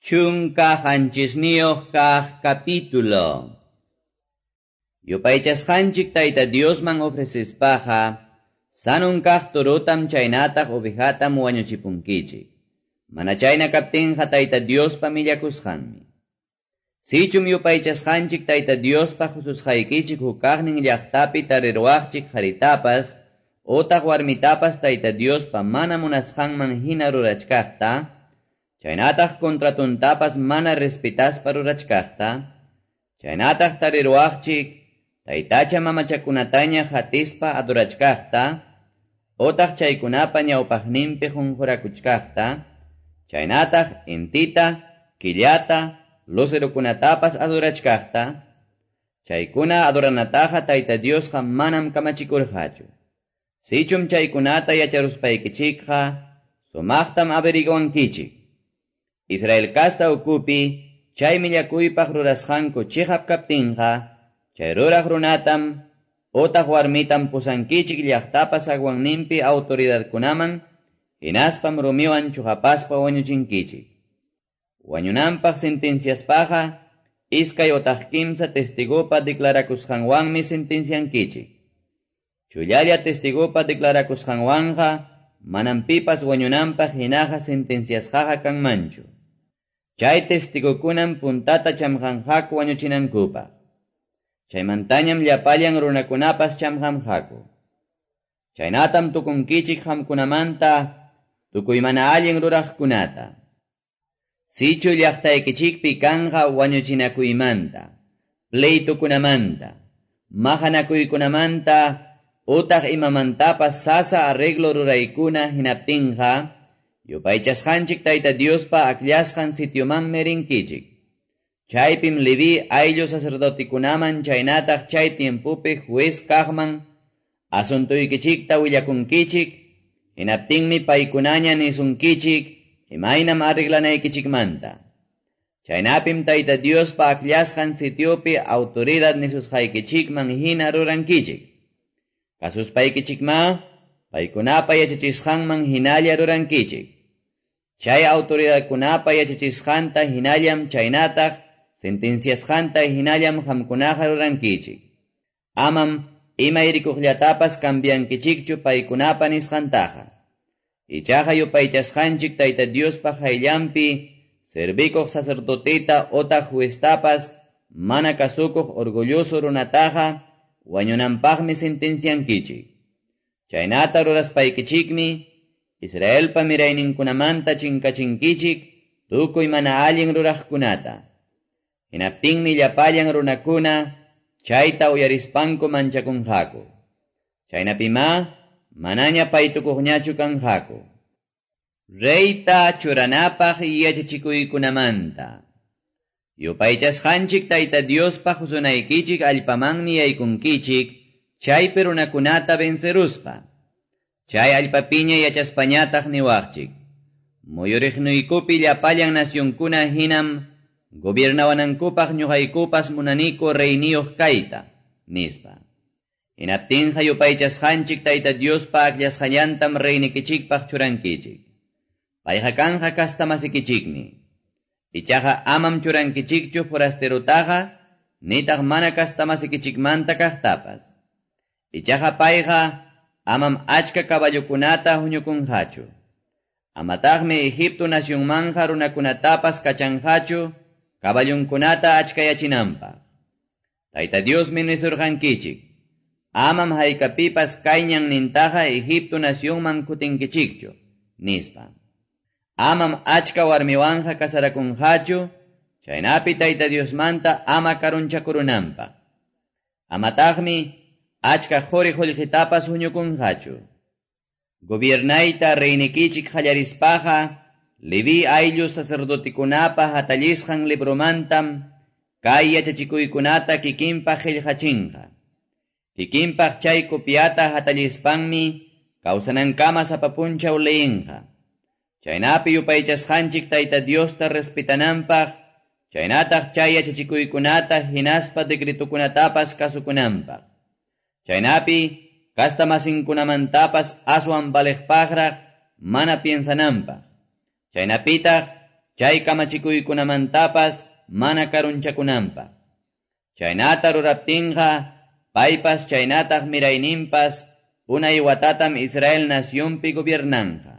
17 kaq capítulo. Yupaychasqanchik Tayta Diosman ofrecespaqa, sanun kaq turutam chaynataq ovejatam wañuchipunkichik. Mana chayna kaptinqa Tayta Diospa millakusqanmi. Sichum yupaychasqanchik Tayta Diospa hususqaykichik hukaqnin llaqtapi tariruwaqchik qharitapas, utaq warmitapas Tayta Diospa mana munasqanman hina rurachkaqta, chaynataq contratuntapas mana respetaspa rurachkaqta, chaynataq tariruwaqchik taytacha mamachakunataña hatispa adorachkaqta, utaq chaykunapa ñawpaqninpi qunqurakuchkaqta, chaynataq intita, killata, lucerokunatapas adorachkaqta, chaykuna adoranataqa Tayta Diosqa manam kamachikurqachu. Sichum chaykunata yacharuspaykichikqa, sumaqtam averiguankichik. Israel kasta ukupi, chay millakuypaq rurasqanku chiqap kaptinqa, chay ruraq runatam, utaq warmitam pusankichik llaqtapa zaguanninpi autoridadkunaman, hinaspam rumiwan chuqapaspa wañuchinkichik. Wañunanpaq sentenciaspaqa, iskay utaq kimsa testigupa declarakusqanwanmi sentenciankichik. Chullalla testigupa declarakusqanwanqa, manam pipas wañunanpaq hinaqa sentenciasqaqa kanmanchu. Chay testigukunam puntata chamqanqaku wañuchinankupaq. Chaymantañam llapallan runakunapas chamqanqaku. Chaynatam tukunkichik qamkunamanta tukuy mana allin ruraqkunata. Sichu llaqtaykichikpi kanqa wañuchinakuymanta, pleitukunamanta, maqanakuykunamanta, utaq imamantapas sasa arreglo ruraykuna hinaptinqa, yupaychasqanchik Tayta Diospa akllasqan sitiomanmi rinkichik. Chaypim Leví ayllu sacerdotikunaman chaynataq chay tiempopi juez kaqman asuntuykichikta willakunkichik, hinaptinmi paykunaña nisunkichik imaynam arreglanaykichikmanta. Chaynapim Tayta Diospa akllasqan sitiopi autoridad nisusqaykichikman hina rurankichik. Kasuspaykichikma, paykunapa yachachisqanman hinalla rurankichik. Chay autoridadkunapa yachachisqanta hinallam chaynataq sentenciasqanta hinallam qamkunaqa rurankichik. Amam imayrikuqllatapas cambiankichikchu paykunapa nisqantaqa. Ichaqa yupaychasqanchik Tayta Diospa qayllanpi servikuq sacerdoteta otaq jueztapas mana kasukuq orgulloso runataqa wañunanpaqmi sentenciankichik. Chaynata ruraspaykichikmi Israelpa mirayninkunamanta chinkachinkichik tukuy mana allin ruraqkunata. Hinaptinmi llapallan runakuna chayta uyarispanku manchakunqaku. Chaynapima manaña paytukuqñachu kanqaku. Reyta churanapaq yachachikuykunamanta. Yupaychasqanchik Tayta Diospa husunaykichik allpamanmi yaykunkichik chaypi runakunata venceruspa. Chay allpapiña yachaspañataq niwaqchik. Muyuriqnuykupi llapallan nacionkuna hinam gobiernawanankupaq ñuqaykupas munaniku reyniyuq kayta, nispa. Hinaptinqa yupaychasqanchik Tayta Diospa akllasqallantam reynikichikpaq churankichik. Payqa kanqa kastamasikichikmi. Ichaqa amam churankichikchu forasterutaqa, nitaq mana kastamasikichikmanta kaqtapas. Ichaqa payqa amam achka caballokunata huñukunqachu. Amataqmi Egipto nacionmanja runakunatapas kachanqachu, caballunkunata achkayachinanpaq. Tayta Diosmi nisurqankichik, amam haykapipas kay ñannintaqa Egipto nacionman kutinkichikchu, nispa. Amam achka warmiwanja kasarakunqachu, chaynapi Tayta Diosmanta ama karunchakurunanpaq. Amataqmi achka quri qullqitapas huñukunqachu. Gobiernayta reynikichik qallarispaqa, Leví ayllu sacerdotikunapa hatallisqan libromantam kay yachachikuykunata kikinpaq qillqachinqa. Kikinpaq chay copiata hatallispanmi kawsanankama sapa punchaw leyinqa. Chaynapi yupaychasqanchik Tayta Diosta respetananpaq, chaynataq chay yachachikuykunata hinaspa decretokunatapas kasukunanpaq. Chaynapi kastamasinkunamantapas aswan valiqpaqraq mana piensananpaq. Chaynapitaq chay kamachikuykunamantapas mana karunchakunanpaq. Chaynata ruraptinqa paypas chaynataq mirayninpas unay watatam Israel nacionpi gobiernanqa.